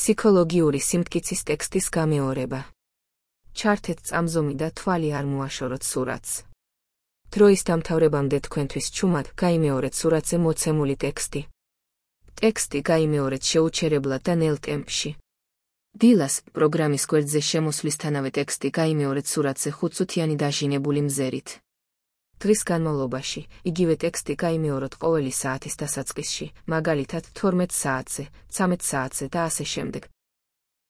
ფსიქოლოგიური სიმტკიცის ტექსტის გამეორება. ჩართეთ წამზომი და თვალი არ მოაშოროთ სურათს. დროის დამთავრებამდე თქვენთვის ჩუმად გაიმეორეთ სურათზე მოცემული ტექსტი. ტექსტი გაიმეორეთ შეუჩერებლად და ნელ ტემპში. დილას, პროგრამის გვერდზე შემოსვლისთანავე ტექსტი გაიმეორეთ სურათზე 5-წუთიანი დაჟინებული მზერით. დღის განმავლობაში, იგივე ტექსტი გაიმეოროთ ყოველი საათის დასაწყისში, მაგალითად 12 საათზე, 13 საათზე და ასე შემდეგ,